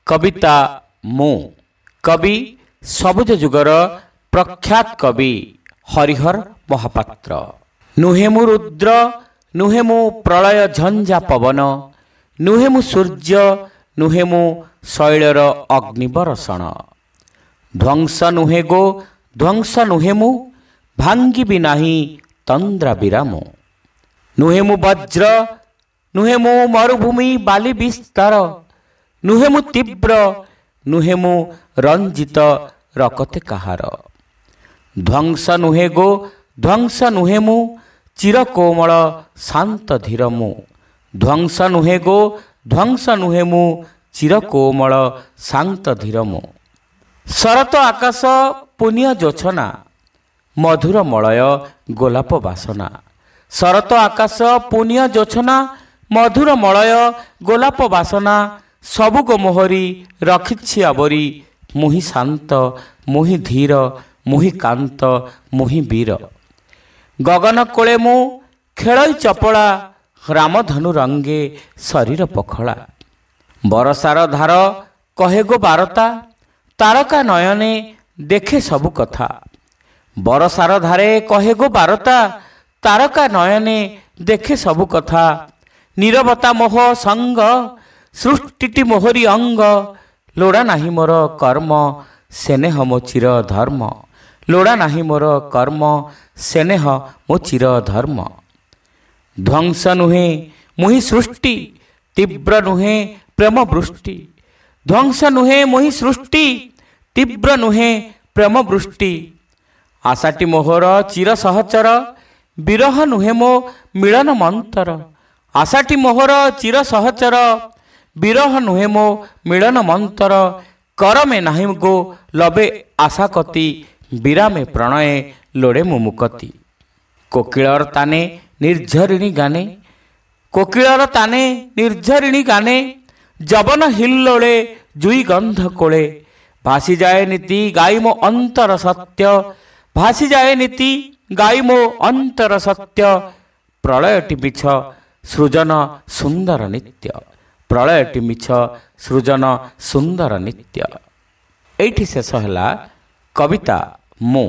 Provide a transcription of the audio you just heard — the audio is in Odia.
କବିତା ମୁଁ। କବି ସବୁଜ ଯୁଗର ପ୍ରଖ୍ୟାତ କବି ହରିହର ମହାପାତ୍ର। ନୁହେଁ ମୁଁ ରୁଦ୍ର, ନୁହେଁ ମୁଁ ପ୍ରଳୟ ଝଞ୍ଜା ପବନ, ନୁହେଁ ମୁଁ ସୂର୍ଯ୍ୟ, ନୁହେଁ ମୁଁ ଶୈଳର ଅଗ୍ନିବରଷଣ। ଧ୍ୱଂସ ନୁହେଁ ଗୋ, ଧ୍ୱଂସ ନୁହେଁ ମୁଁ, ଭାଙ୍ଗିବି ନାହିଁ ତନ୍ଦ୍ରା ବିରାମ। ନୁହେଁ ମୁଁ ବଜ୍ର, ନୁହେଁ ମୁଁ ମରୁଭୂମି ବାଲି ବିସ୍ତାର, ନୁହେଁ ମୁଁ ତୀବ୍ର, ନୁହେଁ ମୁଁ ରଞ୍ଜିତ ରକତେ କାହାର। ଧ୍ୱଂସ ନୁହେଁ ଗୋ, ଧ୍ୱଂସ ନୁହେଁ ମୁଁ, ଚିରକୋମଳ ଶାନ୍ତ ଧୀର ମୁଁ। ଧ୍ୱଂସ ନୁହେଁ ଗୋ, ଧ୍ୱଂସ ନୁହେଁ ମୁଁ, ଚିରକୋମଳ ଶାନ୍ତ ଧୀର ମୁଁ। ଶରତ ଆକାଶ ପୁନିଆ ଜୋଛନା, ମଧୁର ମଳୟ ଗୋଲାପ ବାସନା। ଶରତ ଆକାଶ ପୁନିଆ ଜୋଛନା, ମଧୁର ମଳୟ ଗୋଲାପ ବାସନା, ସବୁ ଗୋ ମୋହରି ରଖିଛି ଆବରି, ମୁହିଁ ଶାନ୍ତ, ମୁହିଁ ଧୀର, ମୁହିଁ କାନ୍ତ, ମୁହିଁ ବୀର। ଗଗନ କୋଳେ ମୁଁ ଖେଳଇ ଚପଳା, ରାମଧନୁ ରଙ୍ଗେ ଶରୀର ପଖଳା। ବରସାର ଧାର କହେ ଗୋ ବାରତା, ତାରକା ନୟନେ ଦେଖେ ସବୁ କଥା। ବରସାର ଧାରେ କହେ ଗୋ ବାରତା, ତାରକା ନୟନେ ଦେଖେ ସବୁ କଥା। ନିରବତା ମୋହ ସଙ୍ଗ, ସୃଷ୍ଟିଟି ମୋହରି ଅଙ୍ଗ, ଲୋଡ଼ା ନାହିଁ ମୋର କର୍ମ, ସ୍ନେହ ମୋ ଚିର ଧର୍ମ। ଲୋଡ଼ା ନାହିଁ ମୋର କର୍ମ, ସ୍ନେହ ମୋ ଚିର ଧର୍ମ। ଧ୍ୱଂସ ନୁହେଁ ମୁହିଁ ସୃଷ୍ଟି, ତୀବ୍ର ନୁହେଁ ପ୍ରେମ ବୃଷ୍ଟି। ଧ୍ୱଂସ ନୁହେଁ ମୁହିଁ ସୃଷ୍ଟି, ତୀବ୍ର ନୁହେଁ ପ୍ରେମ ବୃଷ୍ଟି। ଆଶାଟି ମୋହର ଚିର ସହଚର, ବିରହ ନୁହେଁ ମୋ ମିଳନ ମନ୍ତର। ଆଶାଟି ମୋହର ଚିର ସହଚର, ବିରହ ନୁହେଁ ମୋ ମିଳନ ମନ୍ତର। କରମେ ନାହିଁ ଗୋ ଲବେ ଆଶାକତି, ବିରାମେ ପ୍ରଣୟେ ଲୋଡ଼େ ମୁଁ ମୁକତି। କୋକିଳର ତାନେ ନିର୍ଝରିଣୀ ଗାନେ, କୋକିଳର ତାନେ ନିର୍ଝରିଣୀ ଗାନେ, ଯବନ ହିଲ୍ଲୋଳେ ଜୁଇ ଗନ୍ଧ କୋଳେ। ଭାସିଯାଏ ନୀତି ଗାଇ ମୋ ଅନ୍ତର ସତ୍ୟ, ଭାସିଯାଏ ନୀତି ଗାଇ ମୋ ଅନ୍ତର ସତ୍ୟ। ପ୍ରଳୟଟି ମିଛ, ସୃଜନ ସୁନ୍ଦର ନିତ୍ୟ। ପ୍ରଳୟଟି ମିଛ, ସୃଜନ ସୁନ୍ଦର ନିତ୍ୟ। ଏଇଠି ଶେଷ ହେଲା କବିତା ମୁଁ।